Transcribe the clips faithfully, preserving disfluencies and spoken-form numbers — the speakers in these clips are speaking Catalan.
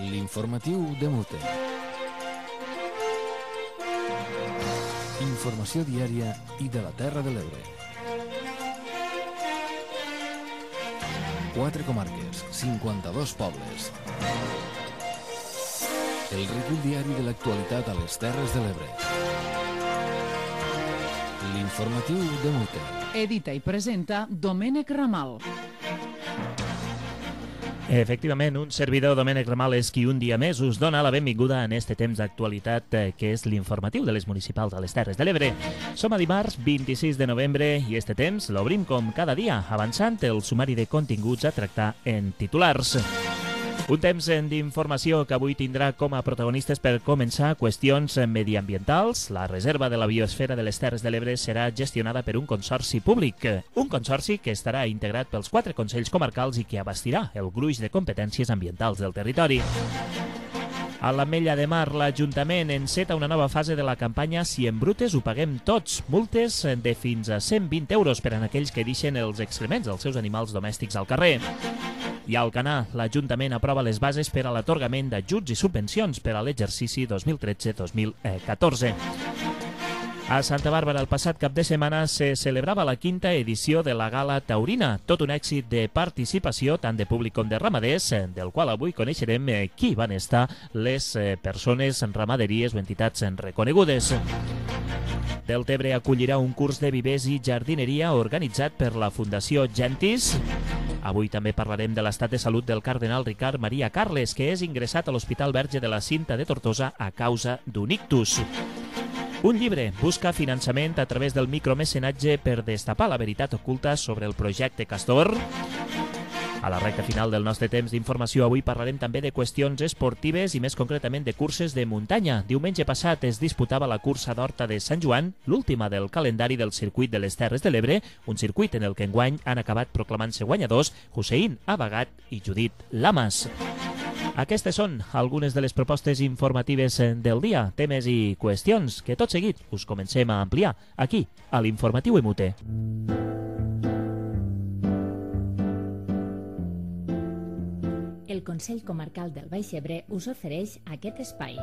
L'informatiu de Mute. Informació diària i de la Terra de l'Ebre. Quatre comarques, cinquanta-dos pobles. El recull diari de l'actualitat a les Terres de l'Ebre. L'informatiu de Mute. Edita i presenta Domènec Ramal. Efectivament, un servidor, Domènec Ramal, és qui un dia més us dona la benvinguda en este temps d'actualitat que és l'informatiu de les municipals a les Terres de l'Ebre. Som a dimarts vint-i-sis de novembre i este temps l'obrim com cada dia, avançant el sumari de continguts a tractar en titulars. Un temps d'informació que avui tindrà com a protagonistes per començar qüestions mediambientals. La reserva de la biosfera de les Terres de l'Ebre serà gestionada per un consorci públic. Un consorci que estarà integrat pels quatre consells comarcals i que abastirà el gruix de competències ambientals del territori. A l'Ametlla de Mar, l'Ajuntament enceta una nova fase de la campanya Si embrutes ho paguem tots. Multes de fins a cent vint euros per a aquells que deixen els excrements dels seus animals domèstics al carrer. I a Alcanar, l'Ajuntament aprova les bases per a l'atorgament d'ajuts i subvencions per a l'exercici dos mil tretze dos mil catorze. A Santa Bàrbara, el passat cap de setmana, se celebrava la quinta edició de la Gala Taurina, tot un èxit de participació tant de públic com de ramaders, del qual avui coneixerem qui van estar les persones, ramaderies o entitats reconegudes. Deltebre acollirà un curs de vivers i jardineria organitzat per la Fundació Gentis. Avui també parlarem de l'estat de salut del cardenal Ricard Maria Carles, que és ingressat a l'Hospital Verge de la Cinta de Tortosa a causa d'un ictus. Un llibre busca finançament a través del micromecenatge per destapar la veritat oculta sobre el projecte Castor. A la recta final del nostre temps d'informació avui parlarem també de qüestions esportives i més concretament de curses de muntanya. Diumenge passat es disputava la cursa d'Horta de Sant Joan, l'última del calendari del circuit de les Terres de l'Ebre, un circuit en el que enguany han acabat proclamant-se guanyadors Hussein Abagat i Judit Lamas. Aquestes són algunes de les propostes informatives del dia, temes i qüestions que tot seguit us comencem a ampliar aquí, a l'Informatiu Emute. El Consell Comarcal del Baix Ebre us ofereix aquest espai.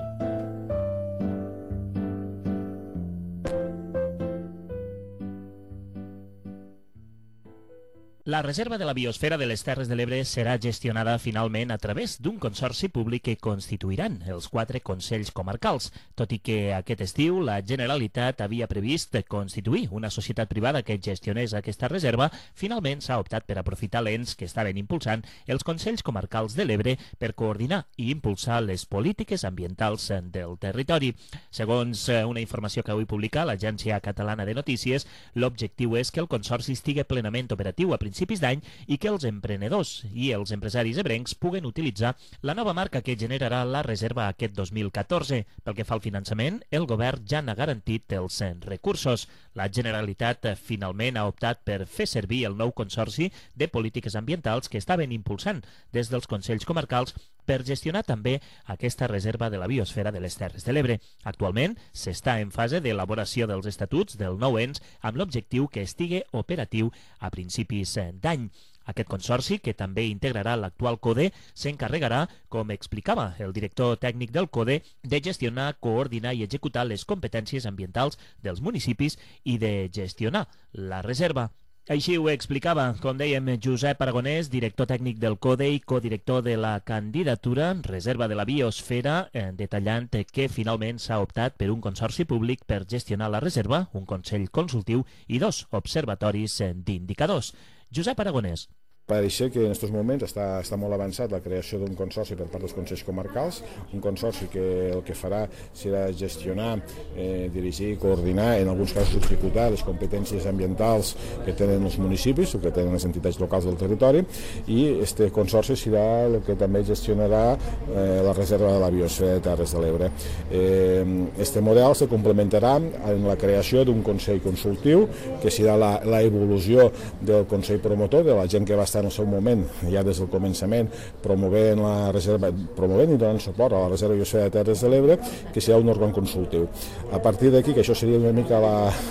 La reserva de la biosfera de les Terres de l'Ebre serà gestionada finalment a través d'un consorci públic que constituiran els quatre consells comarcals. Tot i que aquest estiu la Generalitat havia previst constituir una societat privada que gestionés aquesta reserva, finalment s'ha optat per aprofitar l'ens que estaven impulsant els consells comarcals de l'Ebre per coordinar i impulsar les polítiques ambientals del territori. Segons una informació que avui publica l'Agència Catalana de Notícies, l'objectiu és que el consorci estigui plenament operatiu a principis principis d'any i que els emprenedors i els empresaris ebrencs puguen utilitzar la nova marca que generarà la reserva aquest dos mil catorze. Pel que fa al finançament, el govern ja n'ha garantit els recursos. La Generalitat finalment ha optat per fer servir el nou consorci de polítiques ambientals que estaven impulsant des dels consells comarcals per gestionar també aquesta reserva de la biosfera de les Terres de l'Ebre. Actualment s'està en fase d'elaboració dels estatuts del nou ens amb l'objectiu que estigui operatiu a principis d'any. Aquest consorci, que també integrarà l'actual CODE, s'encarregarà, com explicava el director tècnic del CODE, de gestionar, coordinar i executar les competències ambientals dels municipis i de gestionar la reserva. Així ho explicava, com dèiem, Josep Aragonès, director tècnic del CODE i codirector de la candidatura Reserva de la Biosfera, detallant que finalment s'ha optat per un consorci públic per gestionar la reserva, un consell consultiu i dos observatoris d'indicadors. Josep Aragonès. Pareix que en aquests moments està, està molt avançat la creació d'un consorci per part dels consells comarcals, un consorci que el que farà serà gestionar, eh, dirigir i coordinar, en alguns casos executar les competències ambientals que tenen els municipis o que tenen les entitats locals del territori, i este consorci serà el que també gestionarà eh, la reserva de la biosfera de Terres de l'Ebre. Eh, este model se complementarà en la creació d'un consell consultiu que serà la, la evolució del consell promotor, de la gent que va estar estar en el seu moment, ja des del començament, promovent la reserva, promovent i donant suport a la Reserva Biosfera de Terres de l'Ebre, que serà un òrgan consultiu. A partir d'aquí, que això seria una mica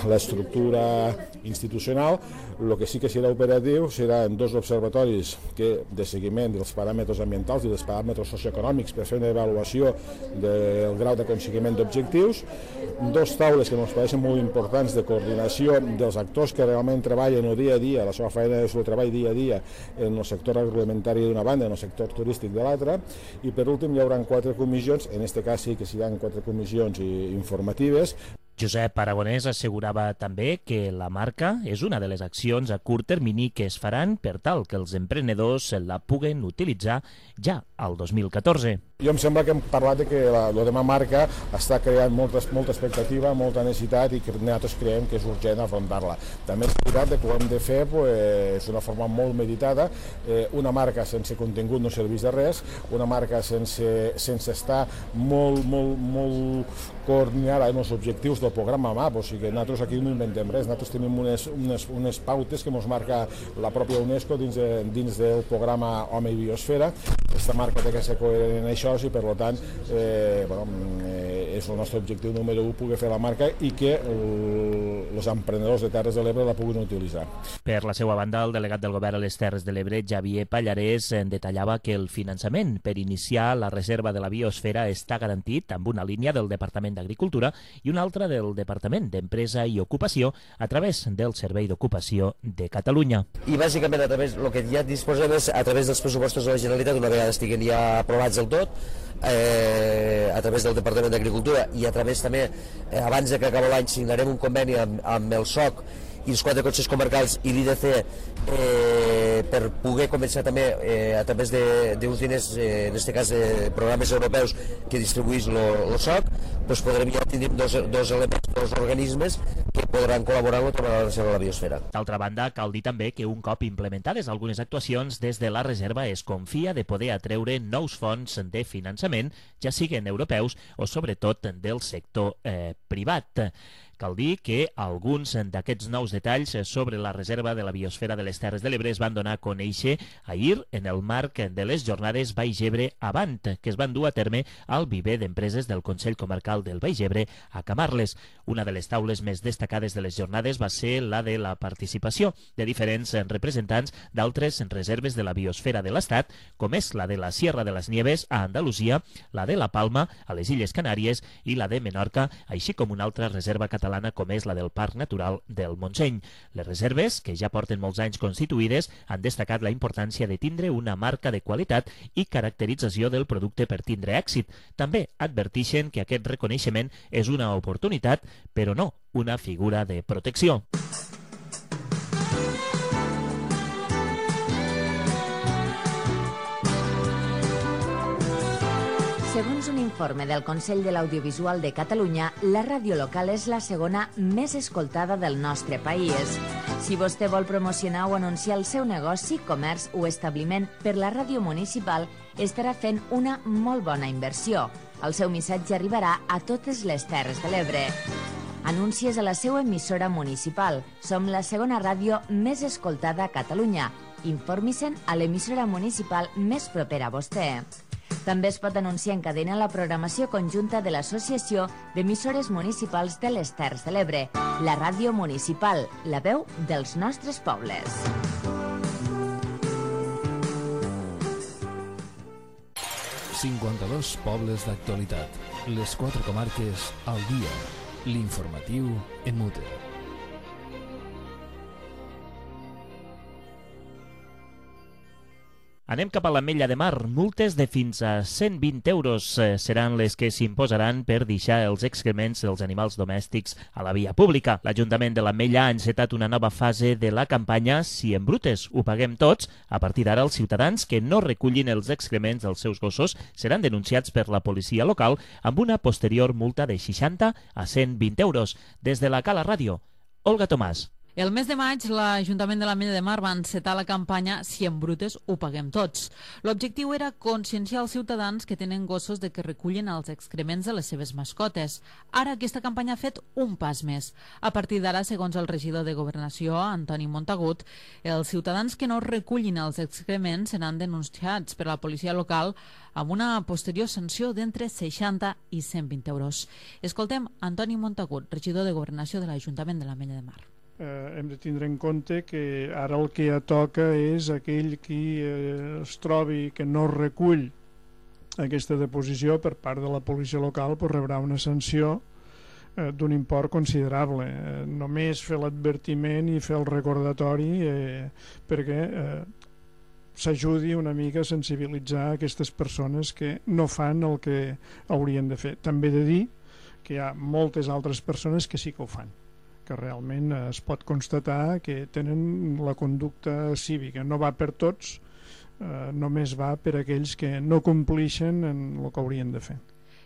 l'estructura institucional, el que sí que serà operatiu seran dos observatoris que, de seguiment dels paràmetres ambientals i dels paràmetres socioeconòmics per fer una avaluació del grau d'aconseguiment d'objectius, dos taules que ens pareixen molt importants de coordinació dels actors que realment treballen el dia a dia, la seva feina és el treball dia a dia en el sector agroalimentari d'una banda, en el sector turístic de l'altra, i per últim hi haurà quatre comissions, en aquest cas sí que seran quatre comissions informatives. Josep Aragonès assegurava també que la marca és una de les accions a curt termini que es faran per tal que els emprenedors la puguen utilitzar ja al dos mil catorze. Jo em sembla que hem parlat de que la, la meva marca està creant molta, molta expectativa, molta necessitat i que nosaltres creiem que és urgent afrontar-la. També és veritat que ho hem de fer pues, d'una forma molt meditada. Eh, una marca sense contingut no serveix de res, una marca sense, sense estar molt, molt, molt coordinada en els objectius del programa M A P, o sigui que nosaltres aquí no inventem res, nosaltres tenim unes, unes, unes pautes que ens marca la pròpia UNESCO dins, de, dins del programa Home i Biosfera. Aquesta marca té que ser coherent en això i per tant eh, bueno, eh, és el nostre objectiu número u poder fer la marca i que els emprenedors de Terres de l'Ebre la puguin utilitzar. Per la seva banda, el delegat del govern a les Terres de l'Ebre, Xavier Pallarès, detallava que el finançament per iniciar la reserva de la biosfera està garantit amb una línia del Departament d'Agricultura i una altra del Departament d'Empresa i Ocupació a través del Servei d'Ocupació de Catalunya. I bàsicament a través del que ja disposem és a través dels pressupostos de la Generalitat, una vegada estiguen ja aprovats del tot, eh, a través del Departament d'Agricultura i a través també, eh, abans de que acabi l'any, signarem un conveni amb, amb el S O C i els quatre consells comarcals i l'I D C eh, per poder començar també eh, a través d'uns diners, eh, en aquest cas de programes europeus que distribuís el S O C, doncs podrem ja tenir dos, dos elements, dos organismes que podran col·laborar amb la reserva de la biosfera. D'altra banda, cal dir també que un cop implementades algunes actuacions, des de la reserva es confia de poder atreure nous fons de finançament, ja siguin europeus o sobretot del sector eh, privat. Cal dir que alguns d'aquests nous detalls sobre la reserva de la biosfera de les Terres de l'Ebre es van donar a conèixer ahir en el marc de les jornades Baix Ebre Avant, que es van dur a terme al viver d'empreses del Consell Comarcal del Baix Ebre a Camarles. Una de les taules més destacades de les jornades va ser la de la participació de diferents representants d'altres reserves de la biosfera de l'Estat, com és la de la Sierra de les Nieves a Andalusia, la de la Palma a les Illes Canàries i la de Menorca, així com una altra reserva catalana com és la del Parc Natural del Montseny. Les reserves, que ja porten molts anys constituïdes, han destacat la importància de tindre una marca de qualitat i caracterització del producte per tindre èxit. També advertixen que aquest reconeixement és una oportunitat, però no una figura de protecció. Segons un informe del Consell de l'Audiovisual de Catalunya, la ràdio local és la segona més escoltada del nostre país. Si vostè vol promocionar o anunciar el seu negoci, comerç o establiment per la ràdio municipal, estarà fent una molt bona inversió. El seu missatge arribarà a totes les Terres de l'Ebre. Anuncies a la seva emissora municipal. Som la segona ràdio més escoltada a Catalunya. Informi-se'n a l'emissora municipal més propera a vostè. També es pot anunciar en cadena la programació conjunta de l'Associació d'Emissores Municipals de les Terres de l'Ebre, la ràdio municipal, la veu dels nostres pobles. cinquanta-dos pobles d'actualitat, les quatre comarques al dia, l'informatiu en mute. Anem cap a l'Ametlla de Mar. Multes de fins a cent vint euros seran les que s'imposaran per deixar els excrements dels animals domèstics a la via pública. L'Ajuntament de l'Ametlla ha encetat una nova fase de la campanya Si embrutes ho paguem tots. A partir d'ara, els ciutadans que no recullin els excrements dels seus gossos seran denunciats per la policia local amb una posterior multa de seixanta a cent vint euros. Des de la Cala Ràdio, Olga Tomàs. El mes de maig, l'Ajuntament de l'Ametlla de Mar va encetar la campanya Si en brutes ho paguem tots. L'objectiu era conscienciar els ciutadans que tenen gossos de que recullen els excrements de les seves mascotes. Ara aquesta campanya ha fet un pas més. A partir d'ara, segons el regidor de Governació, Antoni Montagut, els ciutadans que no recullin els excrements seran denunciats per la policia local amb una posterior sanció d'entre seixanta i cent vint euros. Escoltem Antoni Montagut, regidor de Governació de l'Ajuntament de l'Ametlla de Mar. Eh, hem de tindre en compte que ara el que ja toca és aquell qui eh, es trobi que no recull aquesta deposició per part de la policia local, pues rebrà una sanció eh, d'un import considerable. Eh, només fer l'advertiment i fer el recordatori eh, perquè eh, s'ajudi una mica a sensibilitzar aquestes persones que no fan el que haurien de fer. També he de dir que hi ha moltes altres persones que sí que ho fan, que realment es pot constatar que tenen la conducta cívica. No va per tots, eh, només va per aquells que no complixen en el que haurien de fer.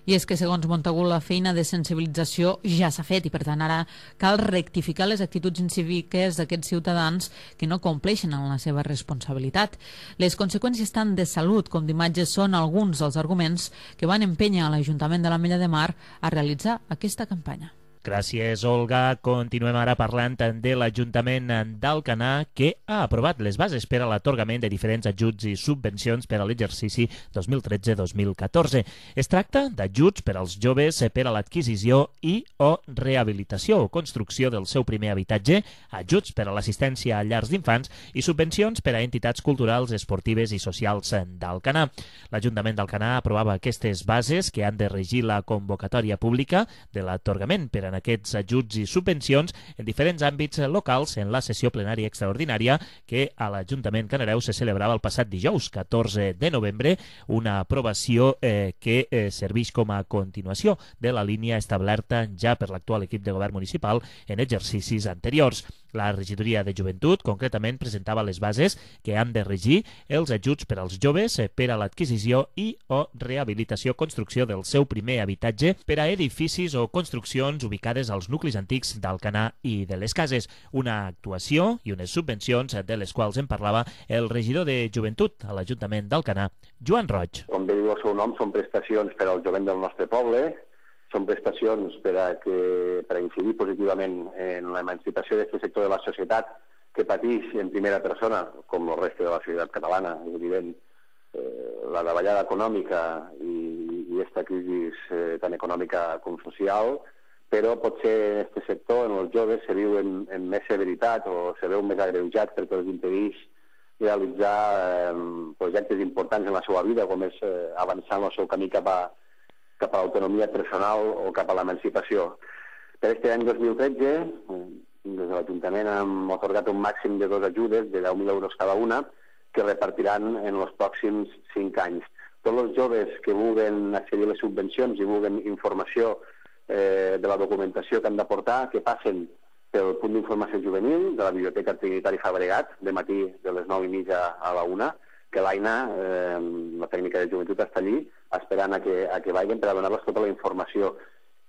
I és que, segons Montagut, la feina de sensibilització ja s'ha fet i, per tant, ara cal rectificar les actituds incíviques d'aquests ciutadans que no compleixen en la seva responsabilitat. Les conseqüències tant de salut com d'imatges són alguns dels arguments que van empènyer a l'Ajuntament de l'Ametlla de Mar a realitzar aquesta campanya. Gràcies, Olga. Continuem ara parlant de l'Ajuntament d'Alcanar, que ha aprovat les bases per a l'atorgament de diferents ajuts i subvencions per a l'exercici dos mil tretze dos mil catorze. Es tracta d'ajuts per als joves per a l'adquisició i o rehabilitació o construcció del seu primer habitatge, ajuts per a l'assistència a llars d'infants i subvencions per a entitats culturals, esportives i socials d'Alcanar. L'Ajuntament d'Alcanar aprovava aquestes bases que han de regir la convocatòria pública de l'atorgament per a en aquests ajuts i subvencions en diferents àmbits locals en la sessió plenària extraordinària que a l'Ajuntament Canareu se celebrava el passat dijous, catorze de novembre, una aprovació eh, que eh, serveix com a continuació de la línia establerta ja per l'actual equip de govern municipal en exercicis anteriors. La regidoria de Joventut, concretament, presentava les bases que han de regir els ajuts per als joves per a l'adquisició i o rehabilitació o construcció del seu primer habitatge per a edificis o construccions ubicades als nuclis antics d'Alcanar i de les Cases. Una actuació i unes subvencions de les quals en parlava el regidor de Joventut a l'Ajuntament d'Alcanar, Joan Roig. Com bé diu el seu nom, són prestacions per al jovent del nostre poble, són prestacions per a, que, per a incidir positivament en l'emancipació d'aquest sector de la societat que pateix en primera persona, com el reste de la societat catalana, és evident, eh, la davallada econòmica i, i aquesta crisi eh, tan econòmica com social, però potser en aquest sector, en els joves, se viu en, en més severitat o se veu més agreujat perquè els impedeix realitzar eh, projectes importants en la seva vida, com és eh, avançar en el seu camí cap a cap a l'autonomia personal o cap a l'emancipació. Per aquest any dos mil tretze, des de l'Ajuntament hem atorgat un màxim de dues ajudes de deu mil euros cada una que repartiran en els pròxims cinc anys. Tots els joves que vulguin accedir a les subvencions i vulguin informació eh, de la documentació que han d'aportar, que passen pel punt d'informació juvenil de la Biblioteca Trinitari Fabregat, de matí de les nou i mitja a la una, que l'Aina, eh, la tècnica de joventut, està allí esperant a que, a que vagin per a donar-los tota la informació.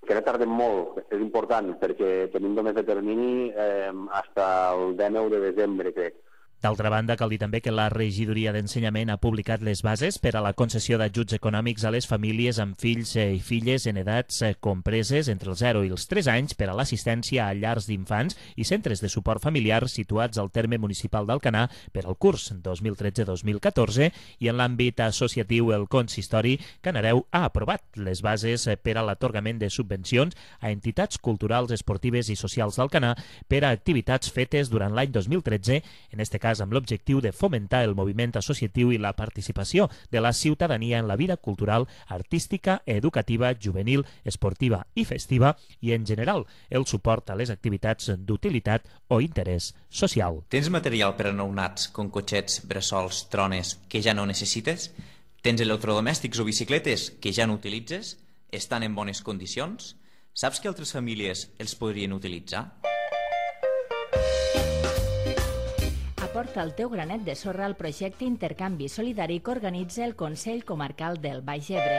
Que no tardem molt, és important, perquè tenim només de termini eh, fins al dinou de desembre, crec. D'altra banda, cal dir també que la Regidoria d'Ensenyament ha publicat les bases per a la concessió d'ajuts econòmics a les famílies amb fills i filles en edats compreses entre els zero i els tres anys per a l'assistència a llars d'infants i centres de suport familiar situats al terme municipal d'Alcanar per al curs dos mil tretze dos mil catorze i en l'àmbit associatiu el Consistori Canareu ha aprovat les bases per a l'atorgament de subvencions a entitats culturals, esportives i socials d'Alcanar per a activitats fetes durant l'any dos mil tretze, en este cas amb l'objectiu de fomentar el moviment associatiu i la participació de la ciutadania en la vida cultural, artística, educativa, juvenil, esportiva i festiva i, en general, el suport a les activitats d'utilitat o interès social. Tens material per a nounats, com cotxets, bressols, trones, que ja no necessites? Tens electrodomèstics o bicicletes que ja no utilitzes? Estan en bones condicions? Saps que altres famílies els podrien utilitzar? Aporta el teu granet de sorra al projecte Intercanvi Solidari que organitza el Consell Comarcal del Baix Ebre.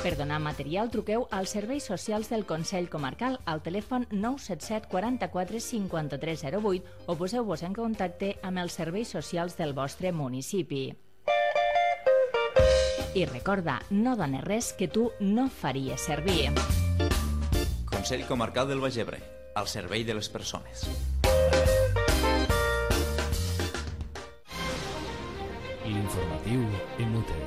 Per donar material, truqueu als serveis socials del Consell Comarcal al telèfon nou set set quaranta-quatre cinquanta-tres zero vuit o poseu-vos en contacte amb els serveis socials del vostre municipi. I recorda, no dones res que tu no faries servir. Consell Comarcal del Baix Ebre, al servei de les persones. L'informatiu en Mute.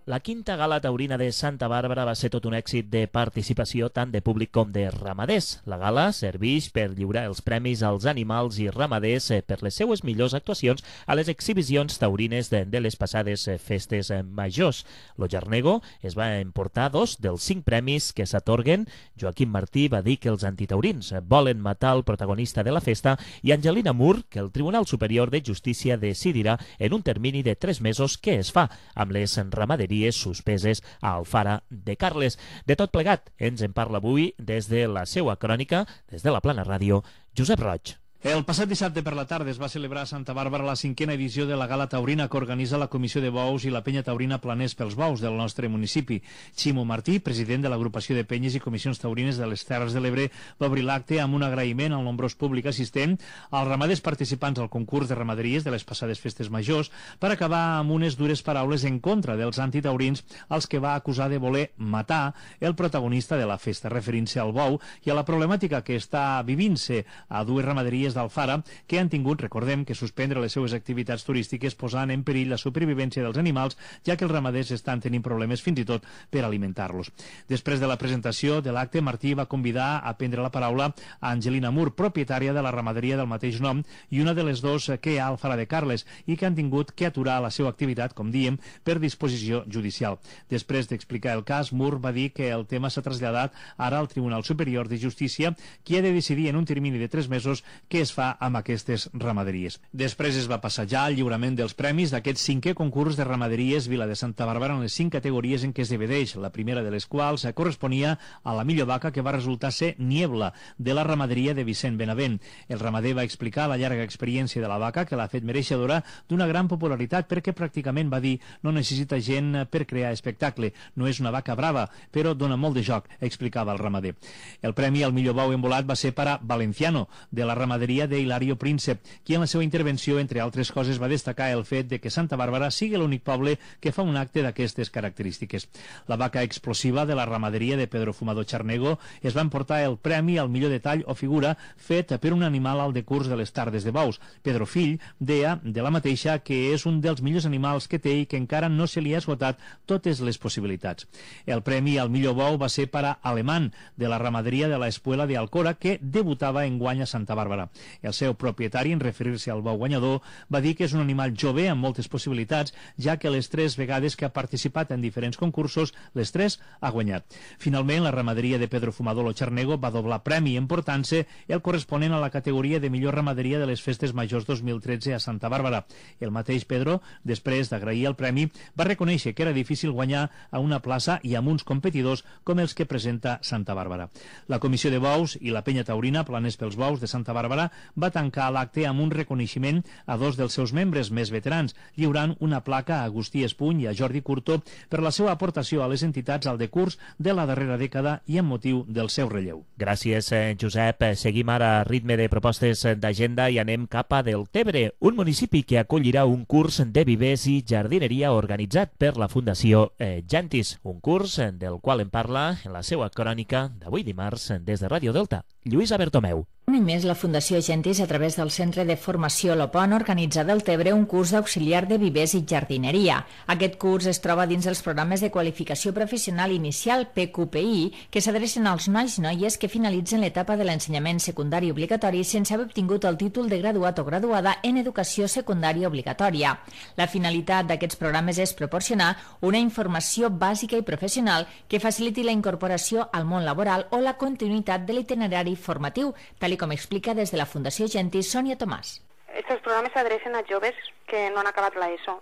La quinta gala taurina de Santa Bàrbara va ser tot un èxit de participació tant de públic com de ramaders. La gala serveix per lliurar els premis als animals i ramaders per les seues millors actuacions a les exhibicions taurines de, de les passades festes majors. Lo Jarnego es va emportar dos dels cinc premis que s'atorguen. Joaquim Martí va dir que els antitaurins volen matar el protagonista de la festa i Angelina Mur que el Tribunal Superior de Justícia decidirà en un termini de tres mesos què es fa amb les ramaderies suspeses a Alfara de Carles. De tot plegat, ens en parla avui des de la seua crònica, des de la Plana Ràdio, Josep Roig. El passat dissabte per la tarda es va celebrar a Santa Bàrbara la cinquena edició de la Gala Taurina que organitza la Comissió de Bous i la Penya Taurina Planers pels Bous del nostre municipi. Ximo Martí, president de l'agrupació de penyes i comissions taurines de les Terres de l'Ebre, va obrir l'acte amb un agraïment al nombrós públic assistent, als ramaders participants al concurs de ramaderies de les passades festes majors, per acabar amb unes dures paraules en contra dels antitaurins als que va acusar de voler matar el protagonista de la festa, referint-se al bou i a la problemàtica que està vivint-se a dues ramaderies d'Alfara que han tingut, recordem, que suspendre les seues activitats turístiques posant en perill la supervivència dels animals, ja que els ramaders estan tenint problemes fins i tot per alimentar-los. Després de la presentació de l'acte, Martí va convidar a prendre la paraula a Angelina Mur, propietària de la ramaderia del mateix nom i una de les dos que hi ha a Alfara de Carles i que han tingut que aturar la seva activitat, com diem, per disposició judicial. Després d'explicar el cas, Mur va dir que el tema s'ha traslladat ara al Tribunal Superior de Justícia, qui ha de decidir en un termini de tres mesos què es fa amb aquestes ramaderies. Després es va passar ja al lliurament dels premis d'aquest cinquè concurs de ramaderies Vila de Santa Bàrbara en les cinc categories en què es divideix, la primera de les quals corresponia a la millor vaca que va resultar ser Niebla, de la ramaderia de Vicent Benavent. El ramader va explicar la llarga experiència de la vaca que l'ha fet mereixedora d'una gran popularitat perquè pràcticament va dir no necessita gent per crear espectacle, no és una vaca brava, però dona molt de joc, explicava el ramader. El premi al millor bou embolat va ser per a Valenciano, de la ramaderia de Hilario Príncep, qui en la seva intervenció, entre altres coses, va destacar el fet de que Santa Bàrbara sigui l'únic poble que fa un acte d'aquestes característiques. La vaca explosiva de la ramaderia de Pedro Fumador Charnego es va emportar el premi al millor detall o figura fet per un animal al decurs de les tardes de bous. Pedro Fill deia de la mateixa que és un dels millors animals que té i que encara no se li ha esgotat totes les possibilitats. El premi al millor bou va ser per a Alemán, de la ramaderia de la Espuela de Alcora, que debutava en guany a Santa Bàrbara. El seu propietari, en referir-se al bou guanyador, va dir que és un animal jove amb moltes possibilitats, ja que les tres vegades que ha participat en diferents concursos, les tres ha guanyat. Finalment, la ramaderia de Pedro Fumador Lo Charnego va doblar premi emportant-se el corresponent a la categoria de millor ramaderia de les festes majors dos mil tretze a Santa Bàrbara. El mateix Pedro, després d'agrair el premi, va reconèixer que era difícil guanyar a una plaça i amb uns competidors com els que presenta Santa Bàrbara. La Comissió de Bous i la Penya Taurina Planers pels Bous de Santa Bàrbara va tancar l'acte amb un reconeixement a dos dels seus membres més veterans, lliurant una placa a Agustí Espuny i a Jordi Curto per la seva aportació a les entitats al decurs de la darrera dècada i amb motiu del seu relleu. Gràcies, Josep. Seguim ara a ritme de propostes d'agenda i anem cap a Deltebre, un municipi que acollirà un curs de vivers i jardineria organitzat per la Fundació Gentis, un curs del qual en parla en la seva crònica d'avui dimarts des de Ràdio Delta, Lluïsa Bertomeu. Un any més, la Fundació Gentis, a través del Centre de Formació Lopon, organitza a Deltebre un curs d'auxiliar de vivers i jardineria. Aquest curs es troba dins dels programes de qualificació professional inicial P Q P I, que s'adrecen als nois i noies que finalitzen l'etapa de l'ensenyament secundari obligatori sense haver obtingut el títol de graduat o graduada en educació secundària obligatòria. La finalitat d'aquests programes és proporcionar una informació bàsica i professional que faciliti la incorporació al món laboral o la continuïtat de l'itinerari formatiu, tal com explica des de la Fundació Gentis Sònia Tomàs. Estos programes s'adrecen a joves que no han acabat l'ESO.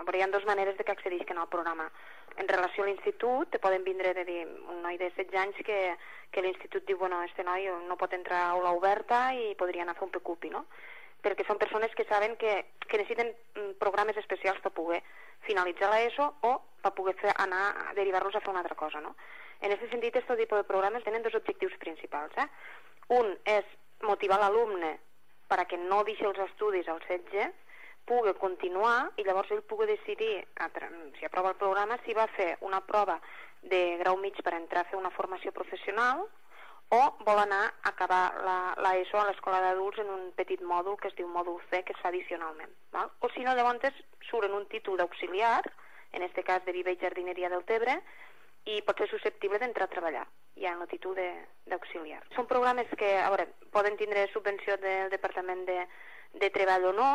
Hi ha dues maneres de que accedisquen al programa. En relació a l'institut, te poden vindre de dir, un noi de setze anys que, que l'institut diu, bueno, este noi no pot entrar a aula oberta i podria anar a fer un P Q P I, no? Perquè són persones que saben que, que necessiten programes especials per poder finalitzar l'ESO o per poder fer, anar a derivar-los a fer una altra cosa, no? En aquest sentit, aquest tipus de programes tenen dos objectius principals, eh? Un és motivar l'alumne perquè no deixi els estudis al setge, pugui continuar i llavors ell pugui decidir, si aprova el programa, si va fer una prova de grau mig per entrar a fer una formació professional o vol anar a acabar l'ESO a l'escola d'adults en un petit mòdul que es diu mòdul C, que es fa addicionalment. Val? O si no, llavors surt en un títol d'auxiliar, en aquest cas de Viver i Jardineria del Tebre, i pot ser susceptible d'entrar a treballar ja en el títol d'auxiliar. Són programes que, a veure, poden tindre subvenció del Departament de, de Treball o no,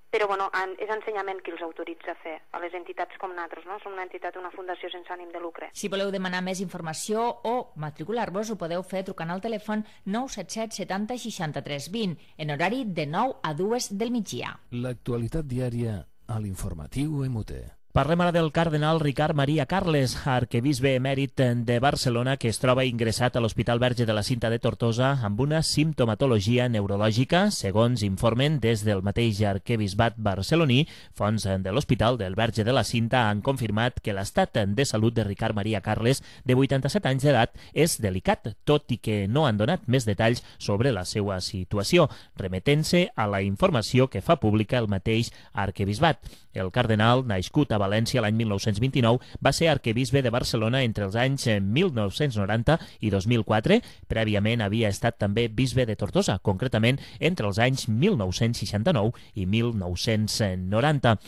però bueno, és ensenyament qui els autoritza a fer, a les entitats com nosaltres, no? Som una entitat, una fundació sense ànim de lucre. Si voleu demanar més informació o matricular-vos, ho podeu fer trucant al telèfon nou set set setanta seixanta-tres vint en horari de nou a dues del migdia. L'actualitat diària a l'informatiu M U T. Parlem ara del cardenal Ricard Maria Carles, arquebisbe emèrit de Barcelona, que es troba ingressat a l'Hospital Verge de la Cinta de Tortosa amb una simptomatologia neurològica, segons informen des del mateix arquebisbat barceloní. Fonts de l'Hospital del Verge de la Cinta han confirmat que l'estat de salut de Ricard Maria Carles, de vuitanta-set anys d'edat, és delicat, tot i que no han donat més detalls sobre la seva situació, remetent-se a la informació que fa pública el mateix arquebisbat. El cardenal, nascut a València l'any mil nou-cents vint-i-nou, va ser arquebisbe de Barcelona entre els anys mil nou-cents noranta i dos mil quatre. Prèviament havia estat també bisbe de Tortosa, concretament entre els anys mil nou-cents seixanta-nou i mil nou-cents noranta.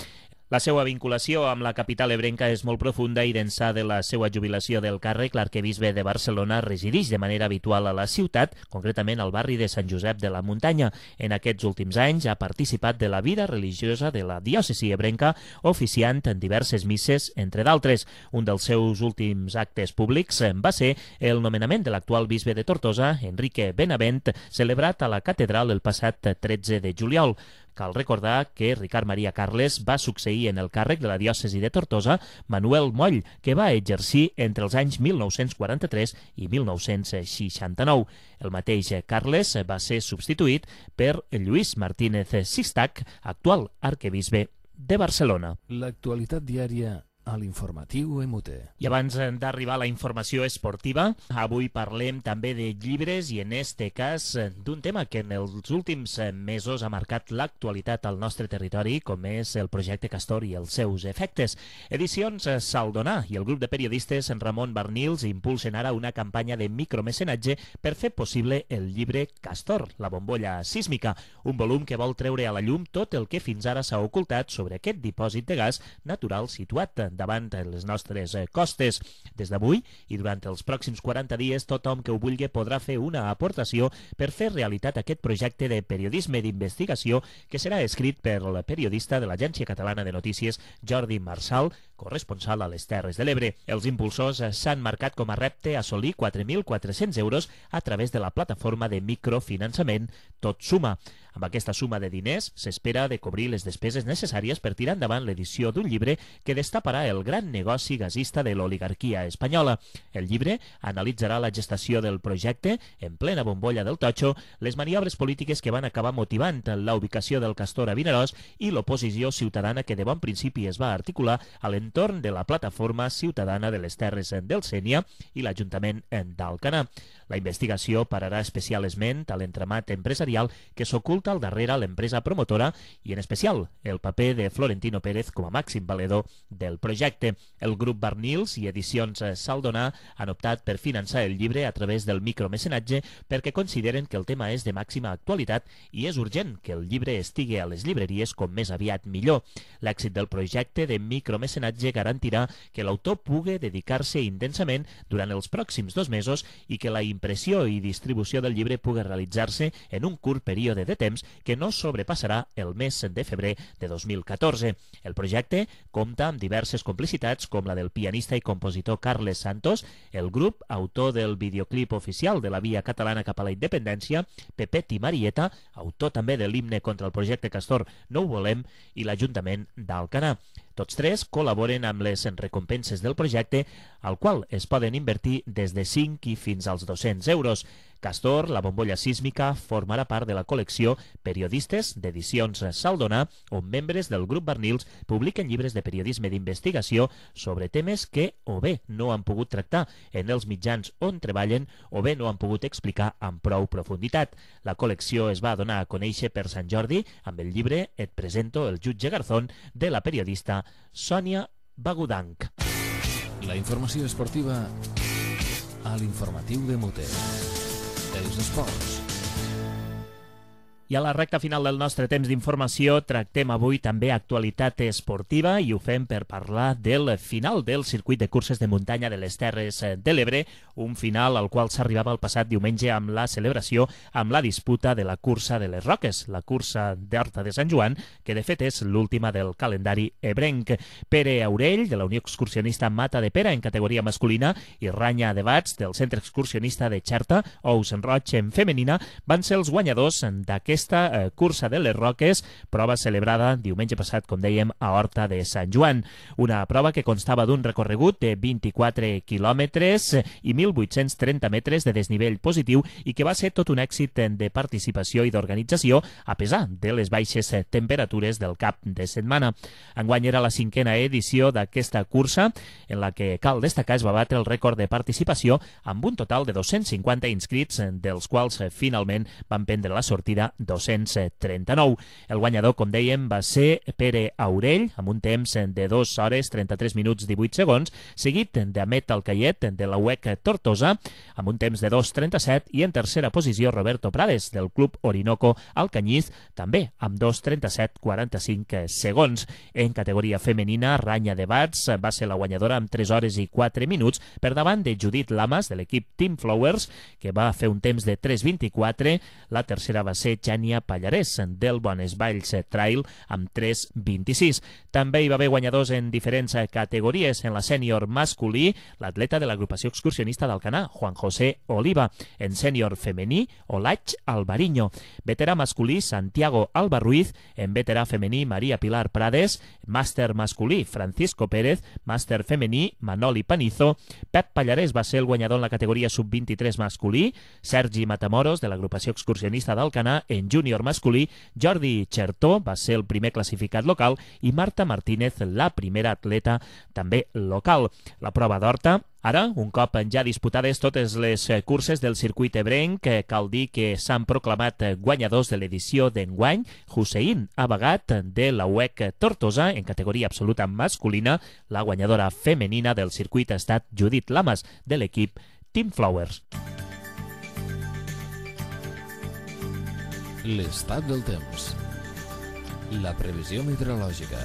La seva vinculació amb la capital ebrenca és molt profunda i d'ençà de la seva jubilació del càrrec, l'arquebisbe de Barcelona resideix de manera habitual a la ciutat, concretament al barri de Sant Josep de la Muntanya. En aquests últims anys ha participat de la vida religiosa de la diòcesi ebrenca, oficiant en diverses misses, entre d'altres. Un dels seus últims actes públics va ser el nomenament de l'actual bisbe de Tortosa, Enrique Benavent, celebrat a la catedral el passat tretze de juliol. Cal recordar que Ricard Maria Carles va succeir en el càrrec de la diòcesi de Tortosa Manuel Moll, que va exercir entre els anys mil nou-cents quaranta-tres i mil nou-cents seixanta-nou. El mateix Carles va ser substituït per Lluís Martínez Sistach, actual arquebisbe de Barcelona. L'actualitat diària a l'informatiu M U T. I abans d'arribar a la informació esportiva, avui parlem també de llibres i en este cas d'un tema que en els últims mesos ha marcat l'actualitat al nostre territori, com és el projecte Castor i els seus efectes. Edicions Saldonà i el grup de periodistes Ramon Barnils impulsen ara una campanya de micromecenatge per fer possible el llibre Castor, la bombolla sísmica, un volum que vol treure a la llum tot el que fins ara s'ha ocultat sobre aquest dipòsit de gas natural situat davant les nostres costes. Des d'avui i durant els pròxims quaranta dies, tothom que ho vulgui podrà fer una aportació per fer realitat aquest projecte de periodisme d'investigació que serà escrit per el periodista de l'Agència Catalana de Notícies Jordi Marsal, corresponsal a les Terres de l'Ebre. Els impulsors s'han marcat com a repte assolir quatre mil quatre-cents euros a través de la plataforma de microfinançament Tot Suma. Amb aquesta suma de diners s'espera de cobrir les despeses necessàries per tirar endavant l'edició d'un llibre que destaparà el gran negoci gasista de l'oligarquia espanyola. El llibre analitzarà la gestació del projecte en plena bombolla del totxo, les maniobres polítiques que van acabar motivant la ubicació del Castor a Vinaròs i l'oposició ciutadana que de bon principi es va articular a l'entorn de la plataforma ciutadana de les Terres del Sénia i l'Ajuntament d'Alcanar. La investigació pararà especial esment a l'entramat empresarial que s'oculta al darrere l'empresa promotora i, en especial, el paper de Florentino Pérez com a màxim valedor del projecte. El grup Barnils i Edicions Saldonà han optat per finançar el llibre a través del micromecenatge perquè consideren que el tema és de màxima actualitat i és urgent que el llibre estigui a les llibreries com més aviat millor. L'èxit del projecte de micromecenatge garantirà que l'autor pugui dedicar-se intensament durant els pròxims dos mesos i que la impressió i distribució del llibre pugui realitzar-se en un curt període de temps que no sobrepassarà el mes de febrer de dos mil catorze. El projecte compta amb diverses complicitats com la del pianista i compositor Carles Santos, el grup autor del videoclip oficial de la Via Catalana cap a la Independència, Pepet i Marieta, autor també de l'himne contra el projecte Castor No ho volem, i l'Ajuntament d'Alcanar. Tots tres col·laboren amb les recompenses del projecte, al qual es poden invertir des de cinc i fins als dos-cents euros. Castor, la bombolla sísmica, formarà part de la col·lecció Periodistes d'Edicions Saldona, on membres del grup Barnils publiquen llibres de periodisme d'investigació sobre temes que o bé no han pogut tractar en els mitjans on treballen o bé no han pogut explicar amb prou profunditat. La col·lecció es va donar a conèixer per Sant Jordi amb el llibre Et presento el jutge Garzón de la periodista Sònia Bagudanc. La informació esportiva a l'informatiu de Mute. Els esports. I a la recta final del nostre temps d'informació tractem avui també actualitat esportiva i ho fem per parlar del final del circuit de curses de muntanya de les Terres de l'Ebre, un final al qual s'arribava el passat diumenge amb la celebració amb la disputa de la cursa de les Roques, la cursa d'Horta de Sant Joan, que de fet és l'última del calendari ebrenc. Pere Aurell, de la Unió Excursionista Mata de Pera en categoria masculina, i Ranya de Bats, del Centre Excursionista de Xerta, Ous en Roig en femenina, van ser els guanyadors d'aquest Aquesta eh, cursa de les Roques, prova celebrada diumenge passat, com dèiem, a Horta de Sant Joan. Una prova que constava d'un recorregut de vint-i-quatre quilòmetres i mil vuit-cents trenta metres de desnivell positiu i que va ser tot un èxit de participació i d'organització a pesar de les baixes temperatures del cap de setmana. Enguany era la cinquena edició d'aquesta cursa, en la que, cal destacar, es va batre el rècord de participació amb un total de dos-cents cinquanta inscrits, dels quals finalment van prendre la sortida dos-cents trenta-nou. El guanyador, com dèiem, va ser Pere Aurell, amb un temps de dos hores trenta-tres minuts divuit segons, seguit d'Amet Alcaiet, de la U E C Tortosa, amb un temps de dos trenta-set, i en tercera posició Roberto Prades, del Club Orinoco Alcanyiz, també amb dos trenta-set quaranta-cinc segons. En categoria femenina, Ranya de Bats va ser la guanyadora amb tres hores i quatre minuts, per davant de Judit Lamas, de l'equip Team Flowers, que va fer un temps de tres vint-i-quatre. La tercera va ser Xènia Pallarès, del Bones Valls Trail, amb tres vint-i-sis. També hi va haver guanyadors en diferents categories. En la sènior masculí, l'atleta de l'agrupació excursionista d'Alcanar, Juan José Oliva. En sènior femení, Olaig Alvariño. Veterà masculí, Santiago Albarruiz. En veterà femení, Maria Pilar Prades. Màster masculí, Francisco Pérez. Màster femení, Manoli Panizo. Pep Pallarès va ser el guanyador en la categoria sub vint-i-tres masculí. Sergi Matamoros, de l'agrupació excursionista d'Alcanar. En júnior masculí, Jordi Chertó va ser el primer classificat local i Marta Martínez, la primera atleta també local. La prova d'Horta, ara, un cop ja disputades totes les curses del circuit ebrenc, cal dir que s'han proclamat guanyadors de l'edició d'enguany. Hussein Abagat, de la U E C Tortosa, en categoria absoluta masculina. La guanyadora femenina del circuit ha estat Judit Lamas, de l'equip Team Flowers. L'estat del temps. La previsió meteorològica.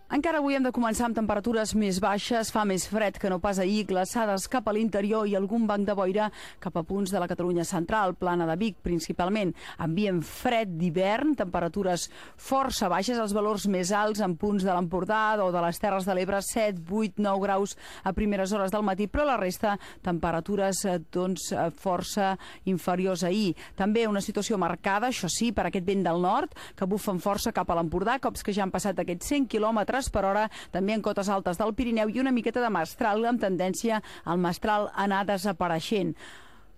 Encara avui hem de començar amb temperatures més baixes, fa més fred que no pas ahir, glaçades cap a l'interior i algun banc de boira cap a punts de la Catalunya central, Plana de Vic principalment. Ambient fred d'hivern, temperatures força baixes, els valors més alts en punts de l'Empordà o de les Terres de l'Ebre, set, vuit, nou graus a primeres hores del matí, però la resta temperatures doncs, força inferiors a ahir. També una situació marcada, això sí, per aquest vent del nord, que bufa amb força cap a l'Empordà, cops que ja han passat aquests cent quilòmetres per hora, també en cotes altes del Pirineu, i una miqueta de mestral, amb tendència al mestral a anar desapareixent.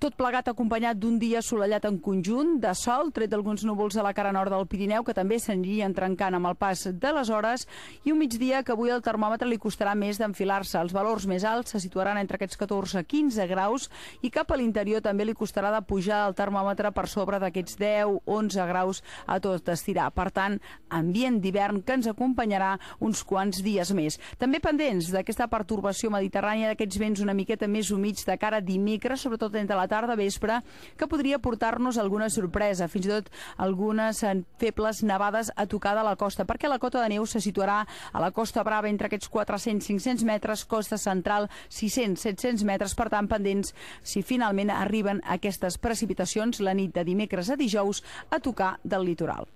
Tot plegat acompanyat d'un dia assolellat en conjunt, de sol, tret d'alguns núvols a la cara nord del Pirineu, que també s'anirien trencant amb el pas de les hores, i un migdia que avui al termòmetre li costarà més d'enfilar-se. Els valors més alts se situaran entre aquests catorze a quinze graus, i cap a l'interior també li costarà de pujar el termòmetre per sobre d'aquests deu a onze graus a tot estirar. Per tant, ambient d'hivern que ens acompanyarà uns quants dies més. També pendents d'aquesta pertorbació mediterrània, d'aquests vents una miqueta més humits de cara a dimecres, sobretot entre la tarda vespre, que podria portar-nos alguna sorpresa, fins i tot algunes febles nevades a tocar de la costa, perquè la cota de neu se situarà a la Costa Brava entre aquests quatre-cents a cinc-cents metres, costa central sis-cents a set-cents metres, per tant pendents si finalment arriben aquestes precipitacions la nit de dimecres a dijous a tocar del litoral.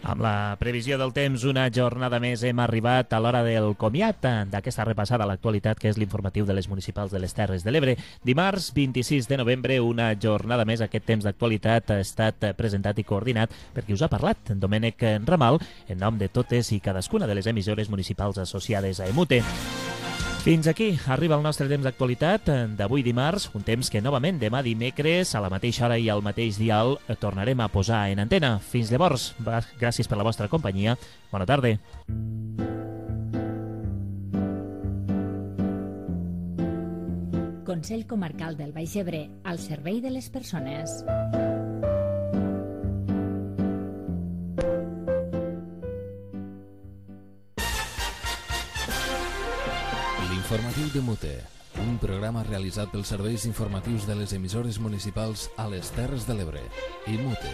Amb la previsió del temps, una jornada més hem arribat a l'hora del comiat d'aquesta repassada a l'actualitat, que és l'informatiu de les municipals de les Terres de l'Ebre. Dimarts, vint-i-sis de novembre, una jornada més. Aquest temps d'actualitat ha estat presentat i coordinat per qui us ha parlat, Domènec Ramal, en nom de totes i cadascuna de les emissores municipals associades a EMUTE. Fins aquí arriba el nostre temps d'actualitat d'avui dimarts, un temps que novament demà dimecres a la mateixa hora i al mateix dial tornarem a posar en antena. Fins llavors, gràcies per la vostra companyia. Bona tarda. Consell Comarcal del Baix Ebre, al servei de les persones. Informatiu de Mute, un programa realitzat pels serveis informatius de les emissores municipals a les Terres de l'Ebre i Mute.